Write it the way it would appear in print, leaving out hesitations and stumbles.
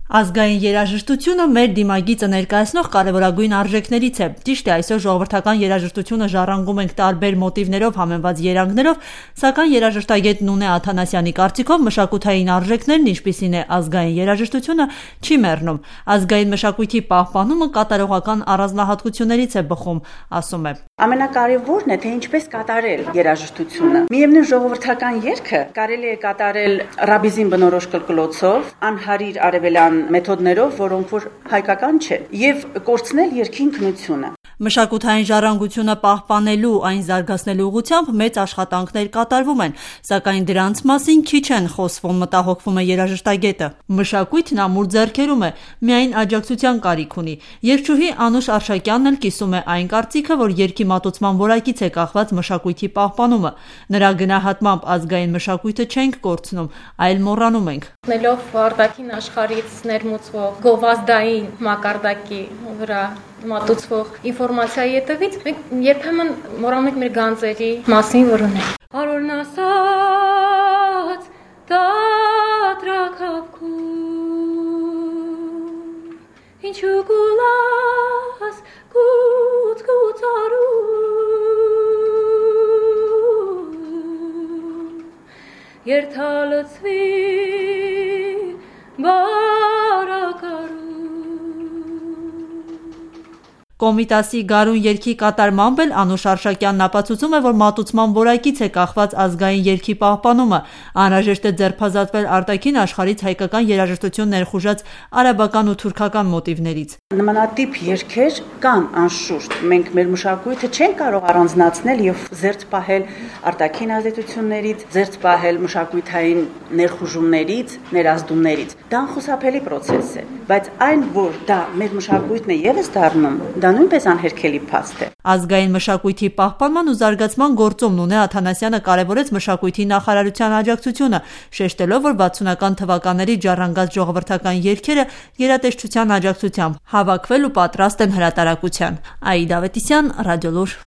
Ազգային երաժշտությունը մեր դիմագիծը ներկայացնող կարևորագույն արժեքներից է։ Ճիշտ է, այսօր ժողովրդական երաժշտությունը ժառանգում ենք տարբեր մոտիվներով համեմված երանգներով, սակայն երաժշտագետ Նունե Աթանասյանի կարծիքով մշակութային արժեքներն, ինչպիսին է ազգային երաժշտությունը, չի մեռնում։ Ազգային մշակույթի պահպանումը կատարողական առանձնահատկություններից է բխում, ասում է։ Ամենակարևորն է, թե ինչպես կատարել երաժշտությունը։ Միևնույն ժողովրդական երգը կարելի է կատարել ռաբիզին բնորոշ կլկլոցով, անհարիր արևելյան մեթոդներով, որոնք որ հայկական չեն, եւ կորցնել երգի ինքնությունը։ Մշակութային ժառանգությունը պահպանելու, այն զարգացնելու ուղղությամբ մեծ աշխատանքներ կատարվում են, սակայն դրանց մասին քիչ են խոսվում, մտահոգվում է երաժշտագետը։ Մշակույթն ամուր ձեռքերում է, միայն աջակցության կարիք ունի։ Երգչուհի Անուշ Արշակյանն էլ կիսում է այն կարծիքը, որ երգի մատուցման որակից է կախված մշակույթի պահպանումը։ Նրա գնահատմամբ ազգային մշակույթը չենք կորցնում, այլ մոռանում ենք։ Նելով արտաքին աշխարհից ներմուծվող գովազդային մակարդակի վրա մատուցվող ինֆորմացիայի հետևից մենք երբեմն մոռանում ենք մեր գանձերի մասին, որ ունենք։ Արորն ասաց դատրակավքու ինչու գուլաս գուցարու երթալցվի բարակարու։ Կոմիտասի գարուն երգի կատարմամբ էլ Անուշ Արշակյանն ապացուցում է, որ մատուցման որակից է կախված ազգային երգի պահպանումը։ Անհրաժեշտ է ձերբազատվել արտաքին աշխարհից հայկական երաժշտություն ներխուժած արաբական ու թուրքական մոտիվներից։ Նմանատիպ երգեր կան անշուշտ։ Մենք մեր մշակույթը չենք կարող առանձնացնել եւ զերծ պահել արտաքին ազդեցություններից, զերծ պահել մշակութային ներխուժումներից, ներազդումներից։ Դա անխուսափելի process է, բայց այն, որ դա մեր մշակույթն է եւս դառնում, դա նույնպես անհերքելի փաստ է։ Ազգային մշակույթի պահպանման ու զարգացման գործում Նունե Աթանասյանը կարևորեց մշակույթի նախարարության աջակցությունը, շեշտելով, որ 60-ական թվականների ժառանգած ժողովրդական երգերը գերատեսչության աջակցությամբ հավաքվել ու պատրաստ են հրատարակության։ Աիդա Ավետիսյան, Ռադիոլուր։